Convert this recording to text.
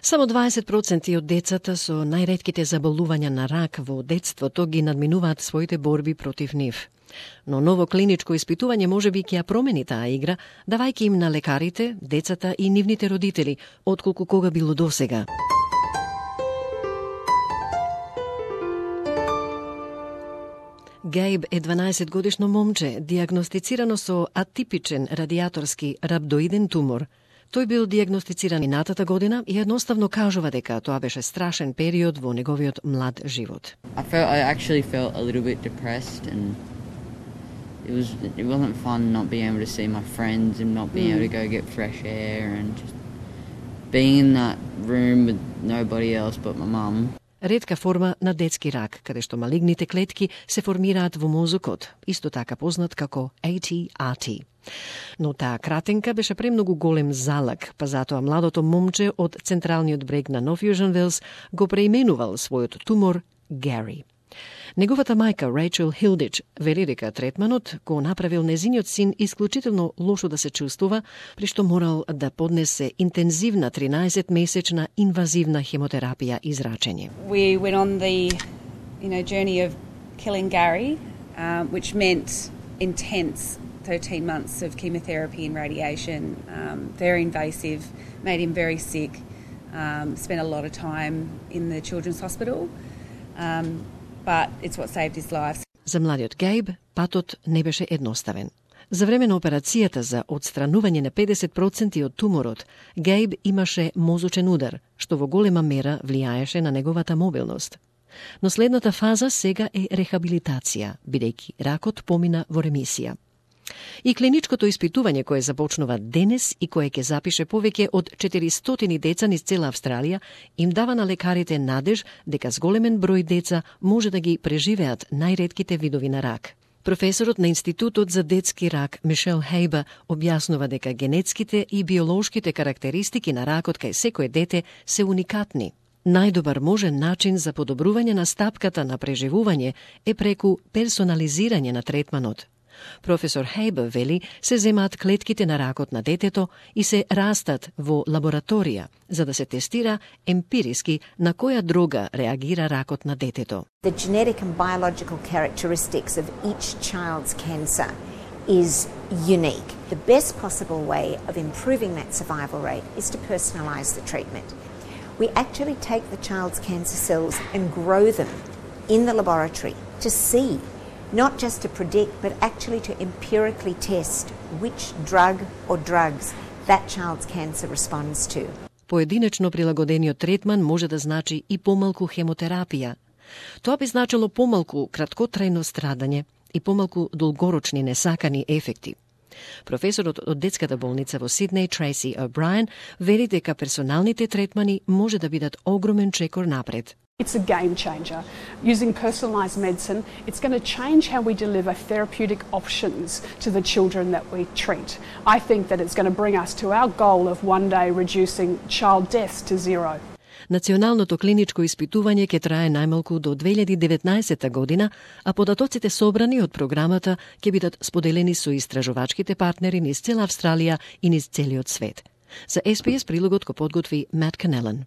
Само 20% од децата со најретките заболувања на рак во детството ги надминуваат своите борби против нив. Но ново клиничко испитување можеби ќе ја промени таа игра, давајќи им на лекарите, децата и нивните родители, отколку кога било досега. Гейб е 12-годишно момче, диагностицирано со атипичен радиаторски рhabdoиден тумор. Тој бил диагностициран минатата година и едноставно кажува дека тоа беше страшен период во неговиот млад живот. I actually felt a little bit depressed, and it wasn't fun not being able to see my friends and not being able to go get fresh air and just being in that room with nobody else but my mum. Ретка форма на детски рак, каде што малигните клетки се формираат во мозокот, исто така познат како ATRT. Но таа кратенка беше премногу голем залак, па затоа младото момче од централниот брег на Нов Јужен Велс го преименувал својот тумор Гари. Неговата мајка Рейчел Хилдич вели дека третманот го направил незиниот син исклучително лошо да се чувствува, при што морал да поднесе интензивна 13-месечна инвазивна хемотерапија и зрачење. We went on the journey of killing Gary, which meant intense 13 months of chemotherapy and radiation, very invasive, made him very sick, spent a lot of time in the children's hospital. But it's what saved his life. За младиот Гейб патот не беше едноставен. За време на операцијата за отстранување на 50% од туморот, Гейб имаше мозочен удар, што во голема мера влијаеше на неговата мобилност. Но следната фаза сега е рехабилитација, бидејќи ракот помина во ремисија. И клиничкото испитување кое започнува денес и кое ќе запише повеќе од 400 деца низ цела Австралија, им дава на лекарите надеж дека зголемен број деца може да ги преживеат најретките видови на рак. Професорот на Институтот за детски рак Мишел Хейба објаснува дека генетските и биолошките карактеристики на ракот кај секое дете се уникатни. Најдобар можен начин за подобрување на стапката на преживување е преку персонализирање на третманот. Професор Хейба вели се земаат клетките на ракот на детето и се растат во лабораторија за да се тестира емпириски на која дрога реагира ракот на детето. The genetic and biological characteristics of each child's cancer is unique. The best possible way of improving that survival rate is to personalise the treatment. We actually take the child's cancer cells and grow them in the laboratory to see, not just to predict, but actually to empirically test which drug or drugs that child's cancer responds to. Поединечно прилагодениот третман може да значи и помалку хемотерапија. Тоа би значило помалку краткотрајно страдање и помалку долгорочни несакани ефекти. Професорот од детската болница во Сиднеј, Трейси О'Брајен, вели дека персоналните третмани може да бидат огромен чекор напред. It's a game changer. Using personalised medicine, it's going to change how we deliver therapeutic options to the children that we treat. I think that it's going to bring us to our goal of one day reducing child deaths to zero. Националното клиничко испитување ќе трае најмалку до 2019 година, а податоците собрани од програмата ќе бидат споделени со истражувачките партнери низ цела Австралија и низ целиот свет. За SBS прилогот го подготви Мат Канелан.